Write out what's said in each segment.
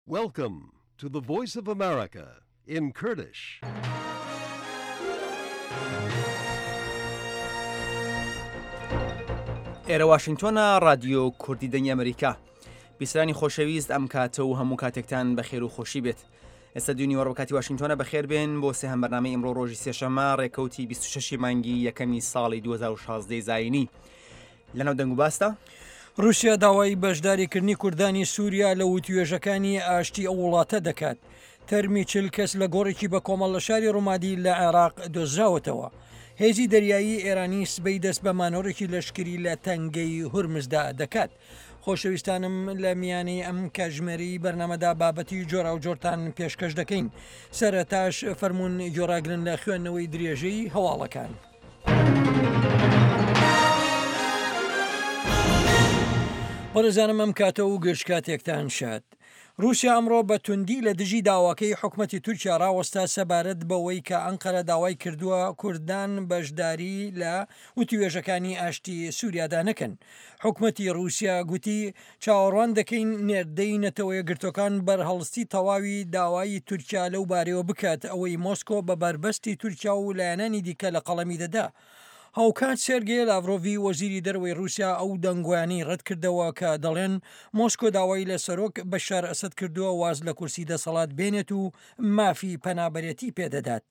Welcome to the Voice of America in Kurdish. ئێرە واشنگتۆنە ڕادیۆ کوردی دەنگی ئەمریکا بیسرانی خۆشەویست ئەم کاتە و هەموو کاتێکتان بەخێر و خۆشی بێت ئێستا دوو نیوەڕۆ کاتی واشنگتۆنە بەخێر بێن بۆ سێهەم بەرنامەی ئیمڕۆ ڕۆژی سێشەممە ڕێکەوتی 26 مانگی یەکەمی ساڵی 2016 زایینی لەناو دەنگ و باسدا. ڕووسیا داوای بەشداریکردنی کوردانی سووریا لە وتوێژەکانی ئاشتی ئەو وڵاتە دەکات. تەرمی چل کەس لە گۆڕێکی بەکۆمەڵ لە شاری ڕومادی لە عێراق دۆزراوەتەوە. هێزی دەریایی ئێرانی سبەی دەست بە مانۆڕێکی لەشکری لە تەنگەی هورمزدا دەکات. خۆشەویستانم لە میانەی ئەم کاتژمێرەی بەرنامەدا بابەتی جۆراوجۆرتان پێشکەش دەکەین. سەرەتاش فەرموون گوێڕاگرن لە خوێندنەوەی درێژەی هەواڵەکان. بەڕێزانم ئەم کاتە و گشت کاتێکتان شاد. رووسیا ئەمڕۆ بە توندی لە دژی داواکەی حکومەتی تورکیا ڕاوەستا سەبارەت بەوەی کە ئەنقەرە داوای کردووە کوردان بەشداری لە وتوێژەکانی ئاشتی سووریادا نەکەن. حکومەتی رووسیا گوتی چاوەڕوان دەکەین نێردەی نەتەوەیەکگرتووەکان بەرهەڵستی تەواوی داوای تورکیا لەو بارەیەوە بکات، ئەوەی مۆسکۆ بە بەربەستی تورکیا و لایەنانی دیکە لە قەڵەمی دەدا. هاوکات سێرگێ لاڤرۆڤی وەزیری دەرەوەی رووسیا ئەو دەنگۆیانەی رەتکردەوە کە دەڵێن مۆسکۆ داوای لە سەرۆک بەشار ئەسەد کردووە واز لە کورسی دەسەڵات بێنێت و مافی پەنابەرێتی پێدەدات.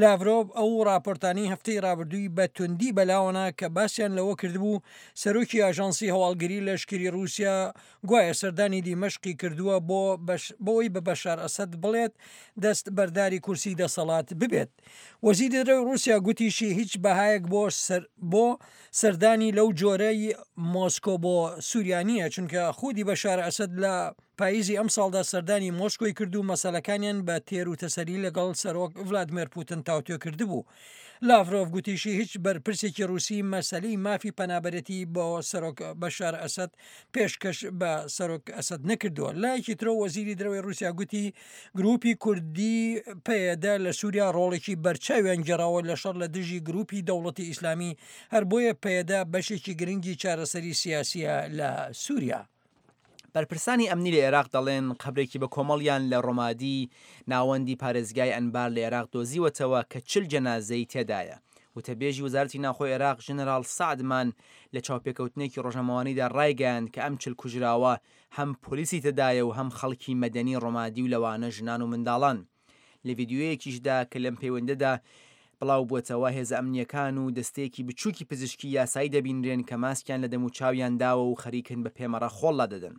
لاڤرۆڤ ئەو ڕاپۆرتانەی هەفتەی ڕابردووی بە توندی بەلاوەنا کە باسیان لەوە کردبوو سەرۆکی ئاژانسی هەواڵگری لەشکری ڕووسیا گوایە سەردانی دیمەشقی کردووە بۆ بەوەی بە بەشار ئەسەد بڵێت دەست بەرداری کورسی دەسەڵات ببێت. وەزیری دەرەوەی ڕووسیا گوتیشی هیچ بەهایەک بۆ بۆ سەردانی لەو جۆرەی مۆسکۆ بۆ سووریا نییە چونکە خودی بەشار ئەسەد لە پاییزی ئەمساڵدا سەردانی مۆسکۆی کرد و مەسەلەکانیان بە تێر و تەسەلی لەگەڵ سەرۆک ڤلادمێر پوتن تاوتوێ کردبوو. لاڤرۆڤ گوتیشی هیچ بەرپرسێکی ڕووسی مەسەلەی مافی پەنابەرێتی بۆ سەرۆک بەشار ئەسەد پێشکەش بە سەرۆک ئەسەد نەکردووە. لایەکی ترەوە وەزیری دەرەوەی ڕووسیا گوتی گرووپی کوردی پەیەدە لە سووریا ڕۆڵێکی بەرچاویان گێڕاوە لە شەڕ لە دژی گرووپی دەوڵەتی ئیسلامی، هەر بۆیە پەیەدە بەشێکی گرنگی چارەسەری سیاسییە لە سووریا. بەرپرسانی ئەمنی لە ئێراق دەڵێن قەبرێکی بە کۆمەڵیان لە ڕۆمادی، ناوەندی پارێزگای ئەنبار لە ئێراق دۆزیوەتەوە کە 40 جەنازەی تێدایە. وتەبێژی وەزارەتی ناوخۆی ئێراق ژەنەراڵ سەعد مان لە چاوپێکەوتنێکی ڕۆژنامەوانیدا ڕایگەیاند کە ئەم 40 کوژراوە هەم پۆلیسی تێدایە و هەم خەڵکی مەدەنی ڕۆمادی و لەوانە ژنان و منداڵان. لە ڤیدیۆیەکیشدا کە لەم پەیوەندەدا بڵاو بووەتەوە، هێزە ئەمنییەکان و دەستەیەکی بچووکی پزیشکی یاسایی دەبینرێن کە ماسکیان لە دەموچاویان داوە و خەریکن بە پێمەڕە خۆڵ لادەدەن.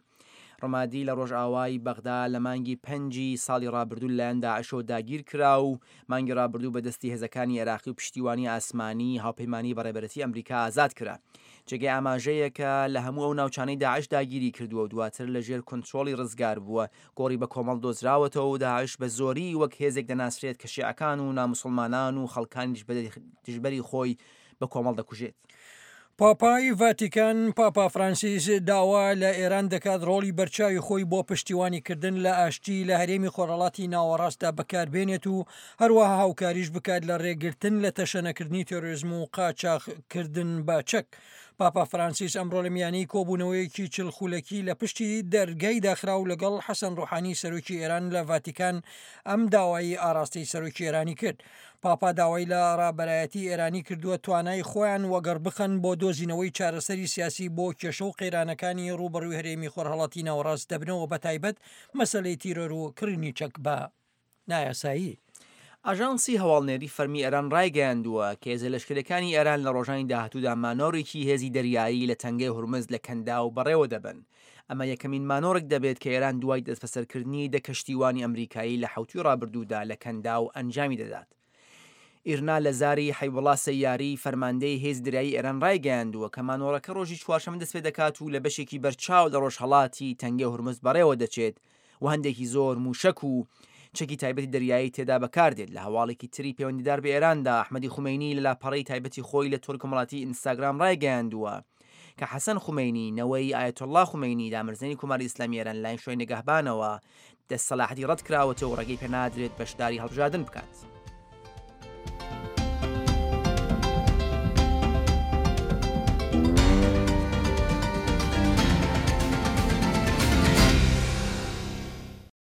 ڕمادی لە ڕۆژئاوای بەغدا لە مانگی پەنجی ساڵی ڕابردوو لەلایەن داعشەوە داگیرکرا و مانگی ڕابردوو بە دەستی هێزەکانی عێراقی و پشتیوانی ئاسمانی هاوپەیمانی بە ڕێبەرێتی ئەمریکا ئازاد کرا. جێگەی ئاماژەیە کە لە هەموو ئەو ناوچانەی داعش داگیری کردووە و دواتر لە ژێر کونترۆڵی ڕزگار بووە، گۆڕی بەکۆمەڵ دۆزراوەتەوە و داعش بە زۆری وەک هێزێک دەناسرێت کە شیعەکان و ناموسڵمانان و خەڵکانی دژبەری خۆی بە کۆمەڵ دەکوژێت. پاپای ڤاتیکان، پاپا فرانسیس داوا لە ئێران دەکات ڕۆڵی بەرچاوی خۆی بۆ پشتیوانی کردن لە ئاشتی لە هەرێمی خۆرهەڵاتی ناوەڕاستدا بەکاربێنێت و هەروەها هاوکاریش بکات لە ڕێگرتن لە تەشەنەکردنی تێرۆریزم و قاچاخ کردن بە چەک. پاپا فرانسیس ئەمڕۆ لە میانەی کۆبوونەوەیەکی چل خولەکی لە پشتی دەرگای داخراو لەگەڵ حەسەن ڕۆحانی سەرۆکی ئێران لە ڤاتیکان ئەم داوایەی ئاراستەی سەرۆکی ئێرانی کرد. پاپا داوای لە ڕابەرایەتی ئێرانی کردووە توانای خۆیان وەگەڕبخەن بۆ دۆزینەوەی چارەسەری سیاسی بۆ کێشە و قەیرانەکانی ڕووبەڕووی هەرێمی خۆرهەڵاتی ناوەڕاست دەبنەوە بەتایبەت مەسەلەی تیرۆر و کڕینی چەک بە نایاسایی. ئاژانسی هەواڵنێری فەرمی ئێران ڕایگەیاندووە کە هێزە لەشکرییەکانی ئێران لە ڕۆژانی داهاتوودا مانۆڕێکی هێزی دەریایی لە تەنگەی هورمز لە کەنداو بەڕێوە دەبەن. ئەمە یەکەمین مانۆڕێک دەبێت کە ئێران دوای دەستبەسەرکردنی دە کەشتیوانی ئەمریکایی لە حەوتووی ڕابردوودا لە کەنداو ئەنجامی دەدات. ئیرنا لە زاری حەیبوڵا سەیاری، فەرماندەی هێزی دەریایی ئێران ڕایگەیاندووە کە مانۆڕەکە ڕۆژی چوارشەممە دەستپێدەکات و لە بەشێکی بەرچاو لە ڕۆژهەڵاتی تەنگەی هورمز بەڕێوە دەچێت و هەندێکی زۆر مووشەک و چەکی تایبەتی دەریایی تێدا بەکاردێت. لە هەواڵێکی تری پەیوەندیدار بە ئێراندا، ئەحمەدی خومەینی لە لاپەڕەی تایبەتی خۆی لە تۆڕی کۆمەڵاتی ئینستاگرام ڕایگەیاندووە کە حەسەن خومەینی، نەوەی ئایەتوڵڵا خومەینی، دامەرزێنی کۆماری ئیسلامی ئێران لەلایەن شورای نگەهبانەوە دەست سەلاحەتی ڕەتکراوەتەوە و ڕێگەی پێنادرێت بەشداری هەڵبژاردن بکات.